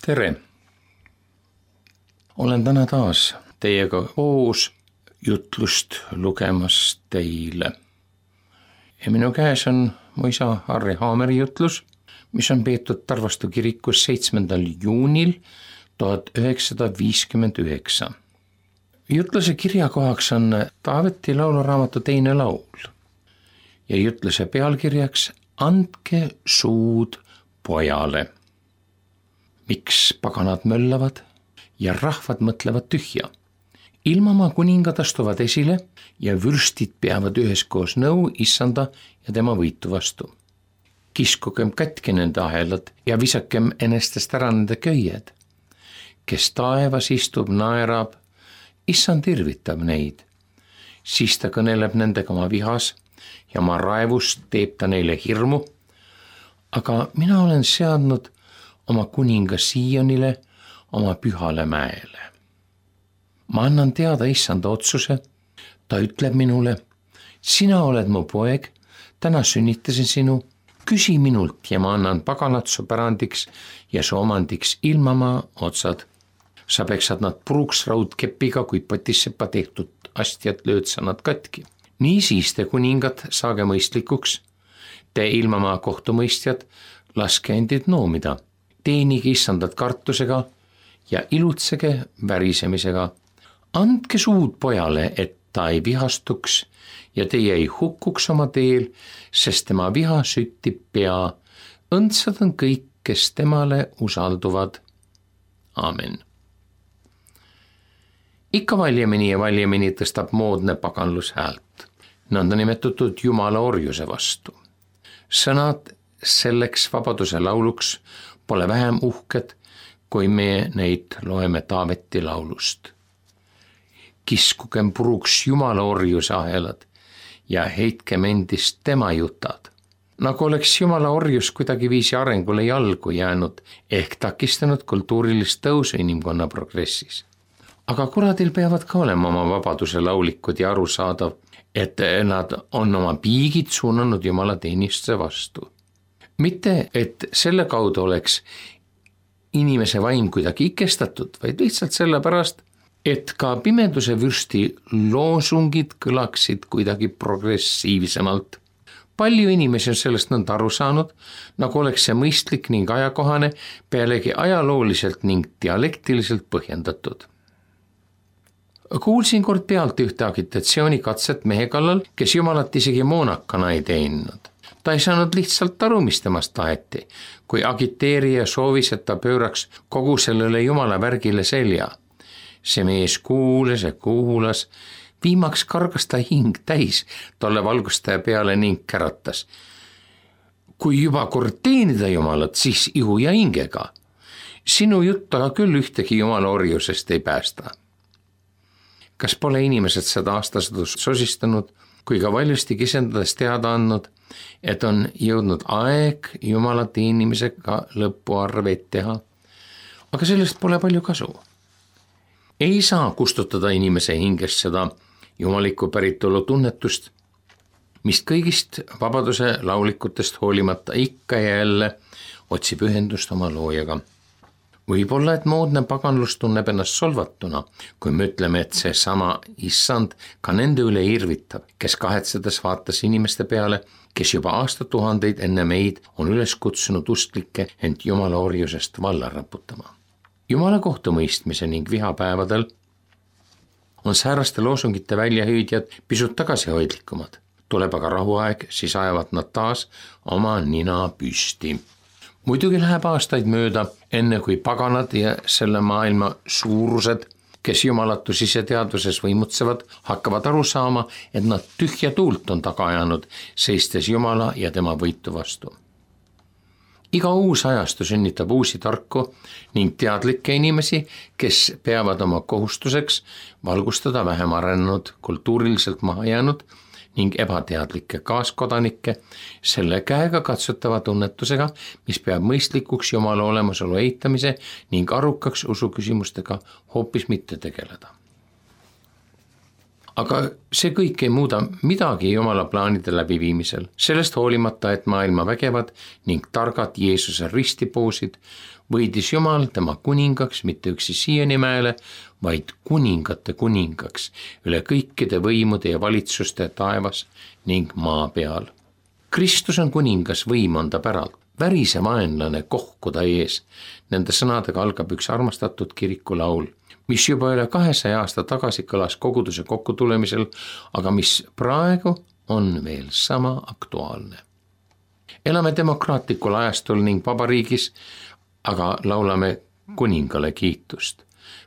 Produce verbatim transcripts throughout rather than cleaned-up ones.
tere! Olen täna taas teiega koos jutlust lugemas teile. Ja minu käes on mu isa Harri Haameri jutlus, mis on peetud Tarvastu kirikus seitsmendal juunil tuhat üheksasada viiskümmend üheksa. Jutluse kirjakohaks on Taaveti lauluraamatu teine laul ja jutluse pealkirjaks Andke suud pojale. Miks paganad möllavad ja rahvad mõtlevad tühja? Ilmamaa kuningad astuvad esile ja vürstid peavad üheskoos nõu issanda ja tema võitu vastu. Kiskugem katki nende ahelad ja visakem enestest ära nende köied. Kes taevas istub, naerab, issand irvitab neid. Siis ta kõneleb nendega oma vihas ja oma raevust teeb ta neile hirmu. Aga mina olen seadnud oma kuninga Siionile, oma pühale mäele. Ma annan teada issanda otsuse, ta ütleb minule, sina oled mu poeg, täna sünnitasin sinu, küsi minult ja ma annan paganat su pärandiks ja su omandiks ilmamaa otsad. Sa peksad nad puruks raudkepiga, kui potissepa tehtud astjad lööd sa nad katki. Nii siis te kuningad saage mõistlikuks, te ilmamaa kohtumõistjad, laske endid noomida. Teenige issandat kartusega ja ilutsege värisemisega. Andke suud pojale, et ta ei vihastuks ja teie ei hukkuks oma teel, sest tema viha süttib pea. Õndsad on kõik, kes temale usalduvad. Amen. Ikka valjemini ja valjemini tõstab moodne paganlus häält, nõnda nimetatud jumala orjuse vastu. Sõnad selleks vabaduse lauluks pole vähem uhked, kui me neid loeme Taaveti laulust. Kiskugem puruks jumala orjuse ahelad ja heitkem endist tema jutad. Nagu oleks jumala orjus kuidagi viisi arengule jalgu jäänud ehk takistanud kultuurilist tõusu inimkonna progressis. Aga kuradil peavad ka olema oma vabaduse laulikud ja arusaadav, et nad on oma piigid suunanud jumala teenistuse vastu. Mitte, et selle kaudu oleks inimese vaim kuidagi ikestatud, vaid lihtsalt sellepärast, et ka pimeduse vürsti loosungid kõlaksid kuidagi progressiivsemalt. Palju inimesi on sellest nõnda aru saanud, nagu oleks see mõistlik ning ajakohane, pealegi ajalooliselt ning dialektiliselt põhjendatud. Kuulsin kord pealt ühte agitatsioonikatset mehe kallal, kes jumalat isegi moonakana ei teeninud. Ta ei saanud lihtsalt aru, mis temast taheti, kui agiteerija soovis, et ta pööraks kogu sellele jumala värgile selja. See mees kuulas ja kuulas, viimaks kargas ta hing täis tolle valgustaja peale ning käratas. Kui juba kord teenida jumalat, siis ihu ja hingega. Sinu jutt aga küll ühtegi jumala orjusest ei päästa. Kas pole inimesed seda aastasadust sosistanud, kui ka valjusti kisendades teada andnud, et on jõudnud aeg jumala teenimisega lõpuarveid teha, aga sellest pole palju kasu. Ei saa kustutada inimese hingest seda jumalikku päritolu tunnetust, mis kõigist vabaduse laulikutest hoolimata ikka ja jälle otsib ühendust oma loojaga. Võib-olla, et moodne paganlus tunneb ennast solvatuna, kui me ütleme, et see sama issand ka nende üle irvitab, kes kahetsedes vaatas inimeste peale, kes juba aastatuhandeid enne meid on üles kutsunud usklikke ent jumala orjusest valla raputama. Jumala kohtumõistmise ning vihapäevadel on sääraste loosungite väljahüüdjad pisut tagasihoidlikumad. Tuleb aga rahuaeg, siis ajavad nad taas oma nina püsti. Muidugi läheb aastaid mööda, enne kui paganad ja selle maailma suurused, kes jumalatu siseteadvuses võimutsevad, hakkavad aru saama, et nad tühja tuult on taga ajanud, seistes jumala ja tema võitu vastu. Iga uus ajastu sünnitab uusi tarku ning teadlikke inimesi, kes peavad oma kohustuseks valgustada vähem arenenud, kultuuriliselt maha jäänud ning ebateadlikke kaaskodanikke selle käega katsutava tunnetusega, mis peab mõistlikuks jumala olemasolu eitamise ning arukaks usuküsimustega hoopis mitte tegeleda. aga see kõik ei muuda midagi Jumala plaanide läbiviimisel. Sellest hoolimata, et maailma vägevad ning targad Jeesuse ristipoosid, võidis Jumal tema kuningaks mitte üksi Sionimäele, vaid kuningate kuningaks üle kõikide võimude ja valitsuste taevas ning maa peal. Kristus on kuningas, võim on ta päralt. Värise vaenlane kohku ta ees. Nende sõnadega algab üks armastatud kirikulaul, mis juba üle kahesaja aasta tagasi kõlas koguduse kokkutulemisel, aga mis praegu on veel sama aktuaalne. Elame demokraatlikul ajastul ning vabariigis, aga laulame kuningale kiitust.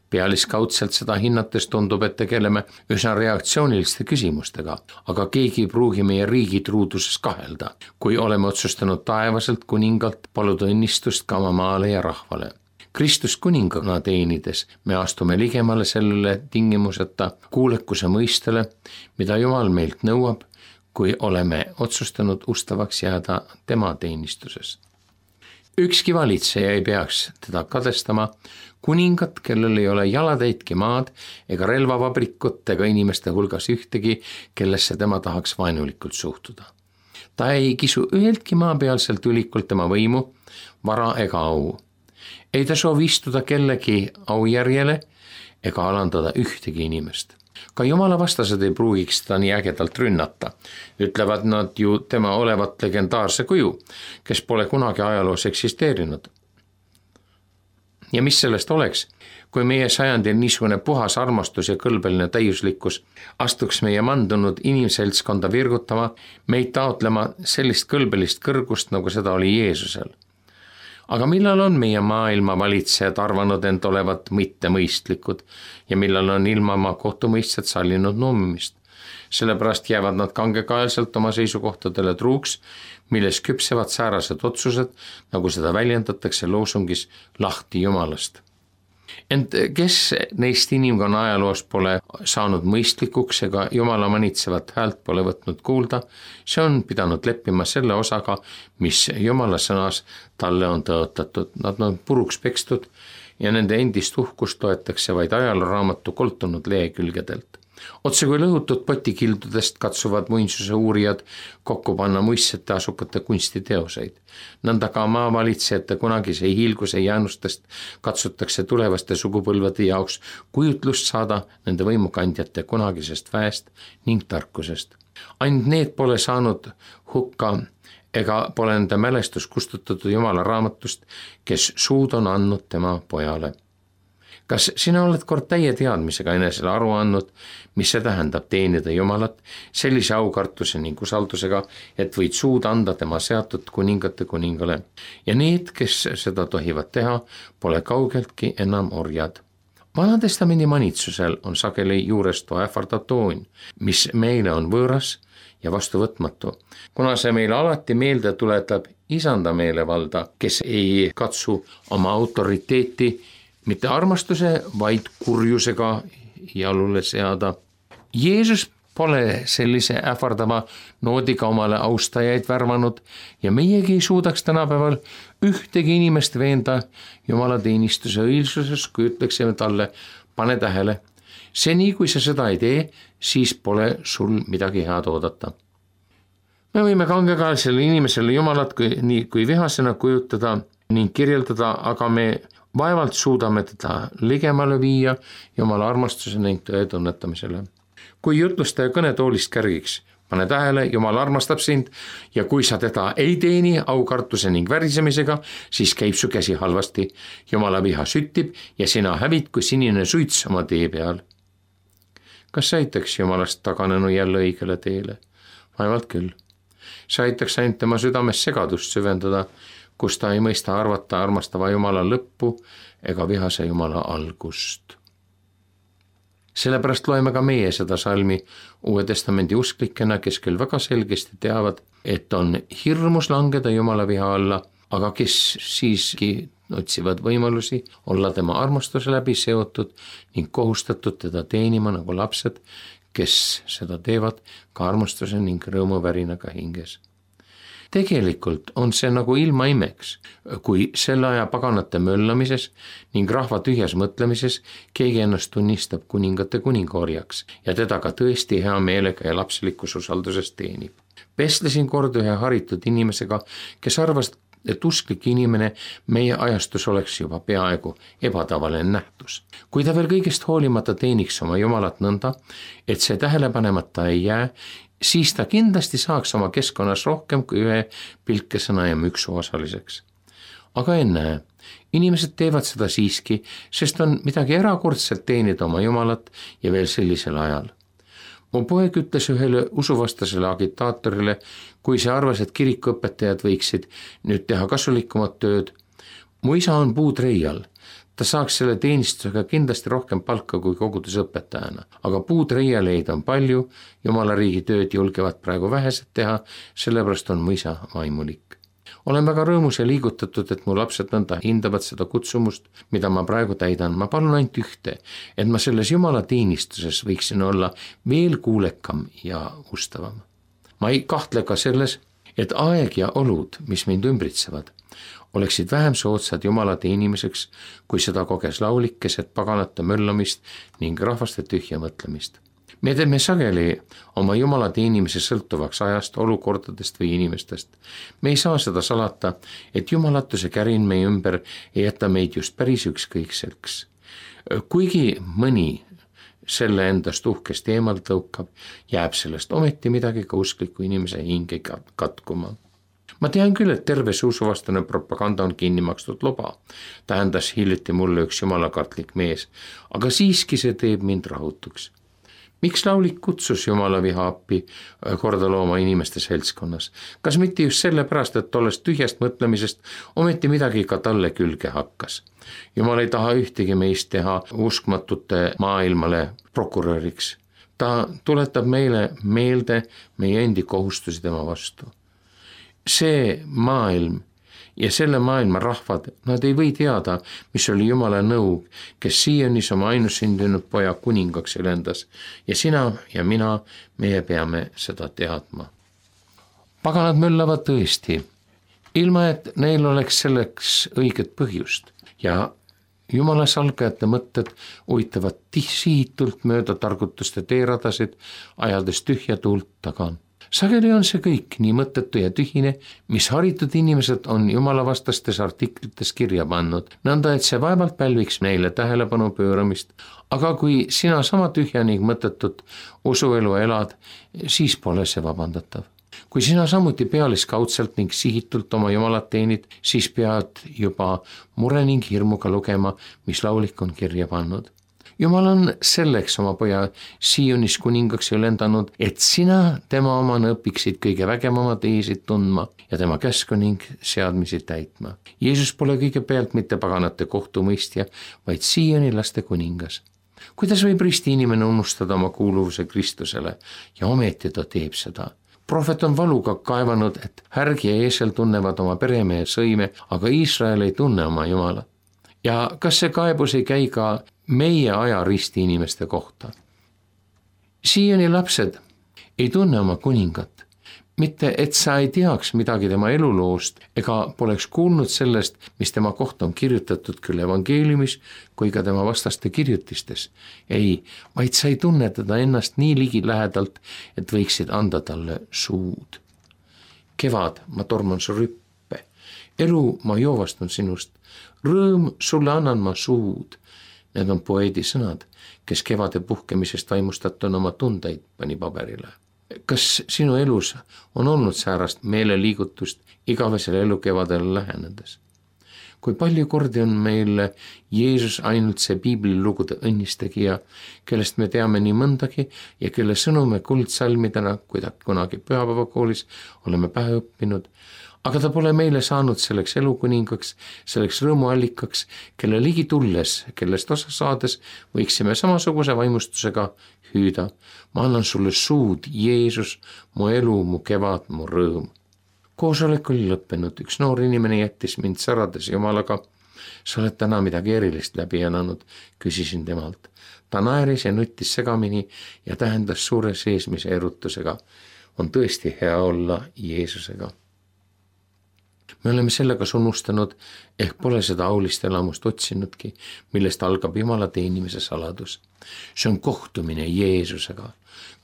Pealiskaudselt seda hinnates tundub, et tegeleme üsna reaktsiooniliste küsimustega, aga keegi ei pruugi meie riigi truuduses kahelda, kui oleme otsustanud taevaselt kuningalt paluda õnnistust ka oma maale ja rahvale. Kristus kuningana teenides me astume ligemale sellele tingimuseta kuulekuse mõistele, mida Jumal meilt nõuab, kui oleme otsustanud ustavaks jääda tema teenistuses. Ükski valitseja ei peaks teda kadestama, kuningat, kellel ei ole jalatäitki maad ega relvavabrikut ega inimeste hulgas ühtegi, kellesse tema tahaks vaenulikult suhtuda. Ta ei kisu üheltki maapealselt ülikult tema võimu, vara ega au. Ei ta soovi istuda kellegi aujärjele ega alandada ühtegi inimest. Ka Jumala vastased ei pruugiks teda nii ägedalt rünnata. Ütlevad nad ju tema olevat legendaarse kuju, kes pole kunagi ajaloos eksisteerinud. Ja mis sellest oleks, kui meie sajandil niisugune puhas armastus ja kõlbeline täiuslikkus astuks meie mandunud inimseltskonda virgutama, meid taotlema sellist kõlbelist kõrgust, nagu seda oli Jeesusel. Aga millal on meie maailma valitsejad arvanud end olevat mittemõistlikud ja millal on ilma oma kohtumõistjad sallinud nummimist? Sellepärast jäävad nad kangekaelselt oma seisukohtadele truuks, milles küpsevad säärased otsused, nagu seda väljendatakse loosungis lahti Jumalast. Ent kes neist inimkonna ajaloos pole saanud mõistlikuks ega Jumala manitsevat häält pole võtnud kuulda, see on pidanud leppima selle osaga, mis Jumala sõnas talle on tõotatud. Nad on puruks pekstud ja nende endist uhkust toetakse vaid ajalooraamatu koltunud lehekülgedelt. Otse kui lõhutud potikildudest katsuvad muinsuse uurijad kokku panna muistsete asukate kunstiteoseid. Nõnda ka maavalitsejate kunagise hiilguse jäänustest katsutakse tulevaste sugupõlvede jaoks kujutlust saada nende võimukandjate kunagisest väest ning tarkusest. Ainult need pole saanud hukka ega pole nende mälestus kustutatud Jumala raamatust, kes suud on andnud tema pojale. Kas sina oled kord täie teadmisega enesele aru andnud, mis see tähendab teenida Jumalat sellise aukartuse ning usaldusega, et võid suud anda tema seatud kuningate kuningale ja need, kes seda tohivad teha, pole kaugeltki enam orjad. Vanatestamendi manitsusel on sageli juurestu ähvardav toon, mis meile on võõras ja vastuvõtmatu, kuna see meile alati meelde tuletab isanda meelevalda, kes ei katsu oma autoriteeti mitte armastuse, vaid kurjusega jalule seada. Jeesus pole sellise ähvardava noodiga omale austajaid värvanud ja meiegi ei suudaks tänapäeval ühtegi inimest veenda Jumala teenistuse õilsuses, kui ütleksime talle, pane tähele. Seni, kui sa seda ei tee, siis pole sul midagi head oodata. Me võime kangekaelsele inimesele Jumalat kui, nii kui vihasena kujutada ning kirjeldada, aga me vaevalt suudame teda ligemale viia Jumala armastuse ning tõe tunnetamisele. Kui jutlustaja kõnetoolist kärgiks, pane tähele, Jumal armastab sind ja kui sa teda ei teeni aukartuse ning värisemisega, siis käib su käsi halvasti. Jumala viha süttib ja sina hävid kui sinine suits oma tee peal. Kas see aitaks Jumalast taganenu jälle õigele teele? Vaevalt küll. See aitaks ainult tema südames segadust süvendada, kus ta ei mõista arvata armastava Jumala lõppu ega vihase Jumala algust. Sellepärast loeme ka meie seda salmi Uue Testamendi usklikena, kes küll väga selgesti teavad, et on hirmus langeda Jumala viha alla, aga kes siiski otsivad võimalusi olla tema armastuse läbi seotud ning kohustatud teda teenima nagu lapsed, kes seda teevad ka armastuse ning rõõmuvärinaga hinges. tegelikult on see nagu ilmaimeks, kui selle aja paganate möllamises ning rahva tühjas mõtlemises keegi ennast tunnistab kuningate kuningaorjaks ja teda ka tõesti hea meelega ja lapselikus usalduses teenib. Vestlesin kord ühe haritud inimesega, kes arvas, et usklik inimene meie ajastus oleks juba peaaegu ebatavaline nähtus. Kui ta veel kõigest hoolimata teeniks oma Jumalat nõnda, et see tähelepanemata ei jää, siis ta kindlasti saaks oma keskkonnas rohkem kui ühe pilkesõna ja müksu osaliseks. Aga ennäe, inimesed teevad seda siiski, sest on midagi erakordselt teenida oma Jumalat ja veel sellisel ajal. Mu poeg ütles ühele usuvastasele agitaatorile, kui see arvas, et kirikuõpetajad võiksid nüüd teha kasulikumat tööd. Mu isa on puutreial. Ta saaks selle teenistusega kindlasti rohkem palka kui kogudusõpetajana, aga puutreialeid on palju, Jumala riigi tööd julgevad praegu vähesed teha, sellepärast on mu isa vaimulik. Olen väga rõõmus ja liigutatud, et mu lapsed nõnda hindavad seda kutsumust, mida ma praegu täidan. Ma palun ainult ühte, et ma selles Jumala teenistuses võiksin olla veel kuulekam ja ustavam. Ma ei kahtle ka selles, et aeg ja olud, mis mind ümbritsevad, oleksid vähem soodsad Jumala teenimiseks, kui seda koges laulik keset paganate möllamist ning rahvaste tühja mõtlemist. Me teeme sageli oma Jumala teenimise sõltuvaks ajast, olukordadest või inimestest. Me ei saa seda salata, et jumalatuse kärin meie ümber ei jäta meid just päris ükskõikseks. Kuigi mõni selle endast uhkest eemalt tõukab, jääb sellest ometi midagi ka uskliku inimese hinge katkuma. Ma tean küll, et terve see usuvastane propaganda on kinni makstud loba, tähendas hiljuti mulle üks jumalakartlik mees, aga siiski see teeb mind rahutuks. Miks laulik kutsus Jumala viha appi korda looma inimeste seltskonnas? Kas mitte just sellepärast, et tollest tühjast mõtlemisest ometi midagi ka talle külge hakkas? Jumal ei taha ühtegi meist teha uskmatute maailmale prokuröriks. Ta tuletab meile meelde meie endi kohustusi tema vastu. See maailm ja selle maailma rahvad, nad ei või teada, mis oli Jumala nõu, kes siianis oma ainussündinud poja kuningaks elendas ja sina ja mina, meie peame seda teadma. Paganad möllavad tõesti, ilma et neil oleks selleks õiget põhjust ja Jumala salgajate mõtted uitavad sihitult mööda targutuste teeradasid, ajades tühja tuult taga. Sageli on see kõik nii mõttetu ja tühine, mis haritud inimesed on Jumala vastastes artiklites kirja pannud, nõnda et see vaevalt pälviks neile tähelepanu pööramist, aga kui sina sama tühja ning mõttetut usuelu elad, siis pole see vabandatav. Kui sina samuti pealiskaudselt ning sihitult oma Jumalat teenid, siis pead juba mure ning hirmuga lugema, mis laulik on kirja pannud. Jumal on selleks oma poja Siiunis kuningaks ülendanud, et sina tema omana õpiksid kõige vägevama teesid tundma ja tema käsku ning seadmisi täitma. Jeesus pole kõigepealt mitte paganate kohtumõistja, vaid Siiuni laste kuningas. Kuidas võib risti inimene unustada oma kuuluvuse Kristusele ja ometi ta teeb seda? Prohvet on valuga kaevanud, et härg ja eesel tunnevad oma peremehe sõime, aga Iisrael ei tunne oma Jumalat. Ja kas see kaebus ei käi ka meie aja risti inimeste kohta? Siiani lapsed ei tunne oma kuningat, mitte et sa ei teaks midagi tema eluloost ega poleks kuulnud sellest, mis tema kohta on kirjutatud küll evangeeliumis kui ka tema vastaste kirjutistes. Ei, vaid sa ei tunne teda ennast nii ligi lähedalt, et võiksid anda talle suud. Kevad, ma torman su rüppe, elu ma joovastun sinust, rõõm sulle annan ma suud. Need on poeedi sõnad, kes kevade puhkemisest vaimustatuna oma tundeid pani paberile. Kas sinu elus on olnud säärast meeleliigutust igavesel elukevadel lähenedes? Kui palju kordi on meil Jeesus ainult see piiblilugude õnnistegija, kellest me teame nii mõndagi ja kelle sõnume kuldsalmidena, kui ta kunagi pühapäevakoolis oleme pähe õppinud, aga ta pole meile saanud selleks elukuningaks, selleks rõõmuallikaks, kelle ligi tulles, kellest osa saades võiksime samasuguse vaimustusega hüüda. Ma annan sulle suud, Jeesus, mu elu, mu kevad, mu rõõm. Koosolek oli lõppenud, üks noor inimene jättis mind särades Jumalaga. Sa oled täna midagi erilist läbi elanud, küsisin temalt. Ta naeris ja nuttis segamini ja tähendas suure seesmise erutusega. On tõesti hea olla Jeesusega. me oleme sellega unustanud, ehk pole seda aulist elamust otsinudki, millest algab Jumala teenimise saladus. See on kohtumine Jeesusega.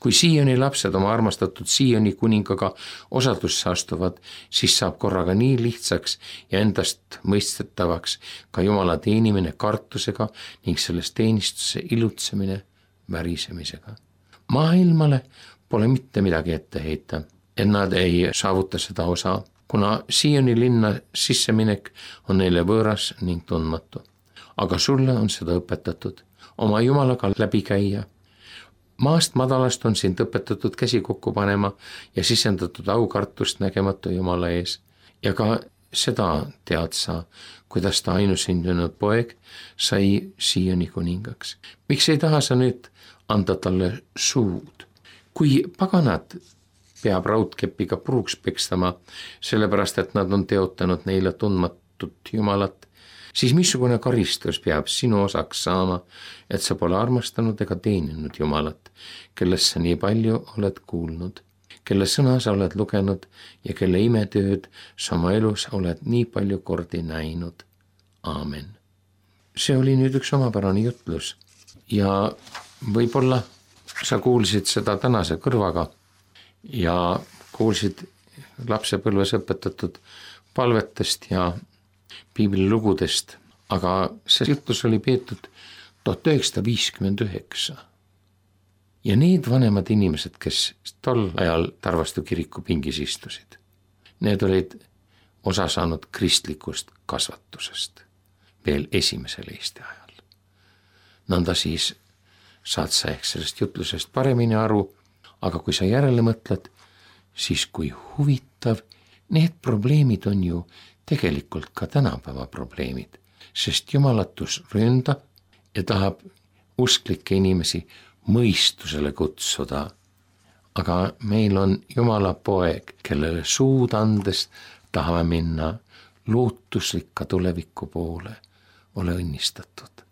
Kui Sioni lapsed oma armastatud Sioni kuningaga osadusse astuvad, siis saab korraga nii lihtsaks ja endast mõistetavaks ka Jumala teenimine kartusega ning sellest teenistuse ilutsemine värisemisega. Maailmale pole mitte midagi ette heita, et nad ei saavuta seda osa, kuna Sioni linna sisseminek on neile võõras ning tundmatu. Aga sulle on seda õpetatud, oma Jumalaga läbi käia. Maast madalast on sind õpetatud käsi kokku panema ja sisendatud aukartust nägematu Jumala ees. Ja ka seda tead sa, kuidas ta ainusündinud poeg sai Sioni kuningaks. Miks ei taha sa nüüd anda talle suud? Kui paganad peab raudkepiga puruks pekstama, sellepärast et nad on teotanud neile tundmatut Jumalat, siis missugune karistus peab sinu osaks saama, et sa pole armastanud ega teeninud Jumalat, kellest sa nii palju oled kuulnud, kelle sõna sa oled lugenud ja kelle imetööd sa oma elus oled nii palju kordi näinud. Aamen. See oli nüüd üks omapärane jutlus ja võib-olla sa kuulsid seda tänase kõrvaga ja kuulsid lapsepõlves õpetatud palvetest ja piiblilugudest, aga see jutlus oli peetud tuhat üheksasada viiskümmend üheksa. Ja need vanemad inimesed, kes tol ajal Tarvastu kiriku pingis istusid, need olid osa saanud kristlikust kasvatusest veel esimesel Eesti ajal. Nõnda siis saad sa ehk sellest jutlusest paremini aru, aga kui sa järele mõtled, siis kui huvitav, need probleemid on ju tegelikult ka tänapäeva probleemid, sest jumalatus ründab ja tahab usklikke inimesi mõistusele kutsuda. Aga meil on Jumala poeg, kellele suud andes tahame minna lootuslikka tuleviku poole. Ole õnnistatud.